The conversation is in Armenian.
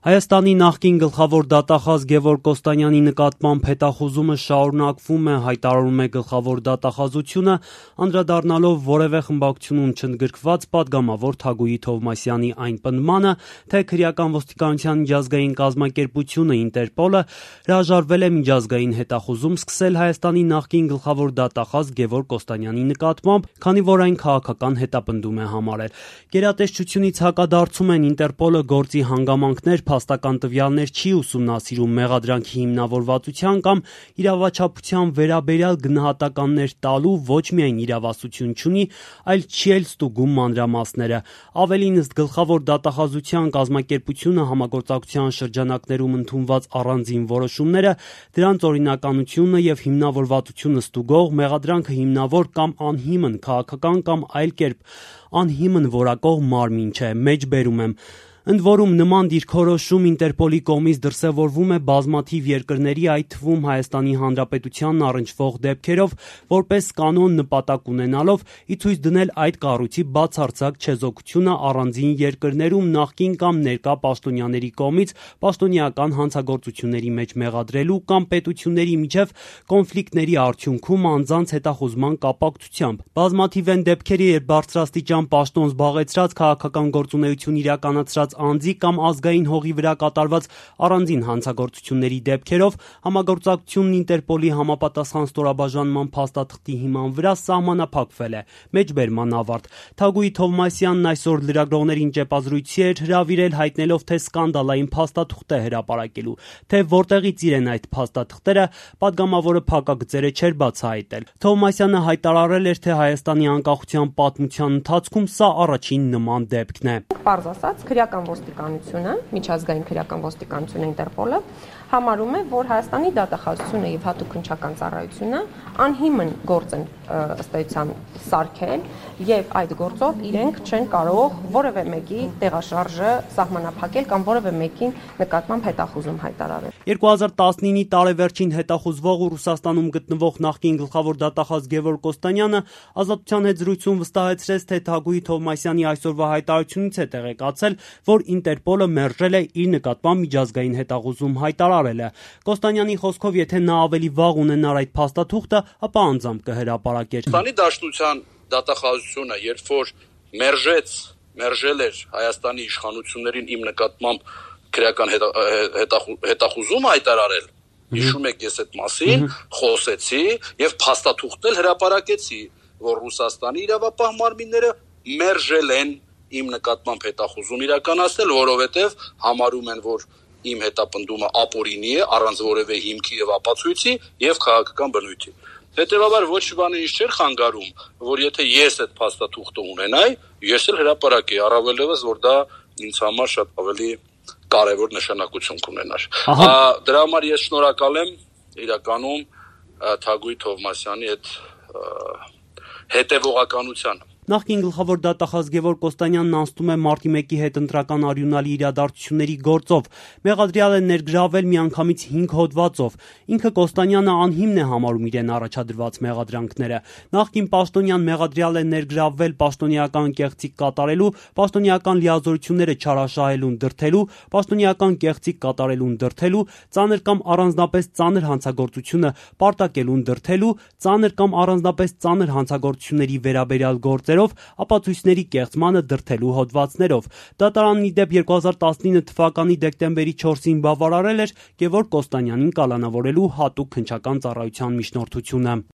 Հայաստանի նախկին գլխավոր դատախազ Գևորգ Կոստանյանի նկատմամբ հետախուզումը շարունակվում է, հայտարարում է գլխավոր դատախազությունը, անդրադառնալով որևէ խմբակցությունում չընդգրկված պատգամավոր Թագուհի Թովմասյանի այն պնդմանը, թե քրեական ոստիկանության միջազգային կազմակերպությունը Ինտերպոլը հրաժարվել է միջազգային հետախուզում սկսել Հայաստանի նախկին գլխավոր դատախազ Գևորգ Կոստանյանի նկատմամբ, քանի որ այն քաղաքական հետապնդում է համարել։ Գերատեսչությունից հակադարձում են Ինտերպոլը գործի հանգամանքներ, փաստական տվյալներ չի ուսումնասիրում, մեղադրանքի հիմնավորվածության կամ իրավաչափության վերաբերյալ գնահատականներ տալու ոչ միայն իրավասություն չունի, այլ չի էլ ստուգում մանրամասները։ Ավելին, ըստ գլխավոր դատախազության կազմակերպությունը համագործակցության շրջանակներում ընդունված առանձին որոշումները, դրանց օրինականությունը եւ հիմնավորվածությունը ստուգող, մեղադրանքը հիմնավոր կամ անհիմն, քաղաքական կամ այլ կերպ անհիմն որակող մարմին չէ, մեջբերում եմ։ Ընդ որում նման դիրքորոշում Ինտերպոլի կողմից դրսևորվում է բազմաթիվ երկրների, այդ թվում Հայաստանի Հանրապետությանն առնչվող դեպքերով, որպես կանոն նպատակ ունենալով ի ցույց դնել այդ կառույցի բացարձակ չեզոքությունը առանձին երկրներում նախկին կամ ներկա պաշտոնյաների կողմից պաշտոնեական հանցագործությունների մեջ մեղադրելու կամ պետությունների միջև կոնֆլիկտների արդյունքում անձանց հետախուզման կապակցությամբ։ Բազմաթիվ են դեպքերը, երբ բարձրաստիճան պաշտոն զբաղեցրած քաղաքական գործունեություն իրականացրած անձի կամ ազգային հողի վրա կատարված առանձին հանցագործությունների դեպքերով համագործակցությունն Ինտերպոլի համապատասխան ստորաբաժանման փաստաթղթի հիման վրա սահմանափակվել է։ Մեջբերման ավարտ։ Թագուհի Թովմասյանն այսօր լրագրողներին ճեպազրույցի էր հրավիրել, հայտնելով, թե սկանդալային փաստաթուղթ է հրապարակելու, թե որտեղից իրեն այդ փաստաթղթերը, պատգամավորը փակագծերը չէր բացահայտել։ Թովմասյանը հայտարարել էր, թե Հայաստանի անկախության պատմության ընթացքում սա առաջին նման դեպքն է։ Պարզ ասած, քրեական ոստիկանությունը, միջազգային քրեական ոստիկանությունը Ինտերպոլը համարում է, որ Հայաստանի դատախազությունը եւ հատուկ քննչական ծառայությունը անհիմն գործ են ըստ էության սարքել եւ այդ գործով իրենք չեն կարող որևէ մեկի տեղաշարժը սահմանափակել կամ որևէ մեկին նկատմամբ հետախուզում հայտարարել։ 2019-ի տարեվերջին հետախուզվող ու Ռուսաստանում գտնվող նախկին գլխավոր դատախազ Գևորգ Կոստանյանը Ազատության հետ զրույցում վստահեցրեց, թե Թագուհի Թովմասյանի այսօրվա հայտարարությունից է տեղեկացել, որ Ինտերպոլը մերժել է իր նկատմամբ միջազգային հետախուզում հայտարարելը։ Կոստանյանի խոսքով, եթե նա ավելի վաղ ունենար այդ փաստաթուղթը, ապա անձամբ կհրապարակեր։ Հայաստանի Դաշնության դատախազությունը, երբ որ մերժել էր Հայաստանի իշխանություններին իմ նկատմամբ քրեական հետախուզում հայտարարել, հիշում եք, ես այդ մասին խոսեցի եւ փաստաթուղթն հրապարակեցի, որ Ռուսաստանի իրավապահ մարմինները մերժել են իմ նկատմամբ հետախուզում իրականացնել, որովհետև համարում են, որ իմ հետապնդումը ապօրինի է, առանց որևէ հիմքի եւ ապացույցի եւ քաղաքական բնույթի։ Հետևաբար ոչ բանը ինչ չէր խանգարում, որ եթե ես այդ փաստաթուղթը ունենայի, ես էլ հրապարակեի, առավելևս որ դա ինձ համար շատ ավելի կարևոր նշանակություն կունենար։ Դրա համար ես շնորհակալ եմ իրականում Թագուհի Թովմասյանի այդ հետևողականությանը։ Նախկին գլխավոր դատախազ Գևորգ Կոստանյանն անցնում է մարտի 1-ի հետ ընտրական արյունալի իրադարձությունների գործով։ Մեղադրյալ է ներգրավել միանգամից 5 հոդվածով։ Ինքը Կոստանյանը անհիմն է համարում իրեն առաջադրված մեղադրանքները։ Նախկին պաշտոնյան մեղադրյալ է ներգրավել պաշտոնեական կեղծիք կատարելու, պաշտոնեական լիազորությունները չարաշահելուն դրդելու, պաշտոնեական կեղծիք կատարելուն դրդելու, ծանր կամ առանձնապես ծանր հանցագործությունը պարտակելուն դրդելու, ծանր կամ առանձնապես ծանր հանցագործությունների վերաբերյալ գործեր ապացույցների կեղծմանը դրդելու հոդվածներով։ Դատարանն ի դեպ 2019 թվականի դեկտեմբերի 4-ին բավարարել էր Գևորգ Կոստանյանին կալանավորելու հատուկ քննչական ծառայության միջնորդությունը։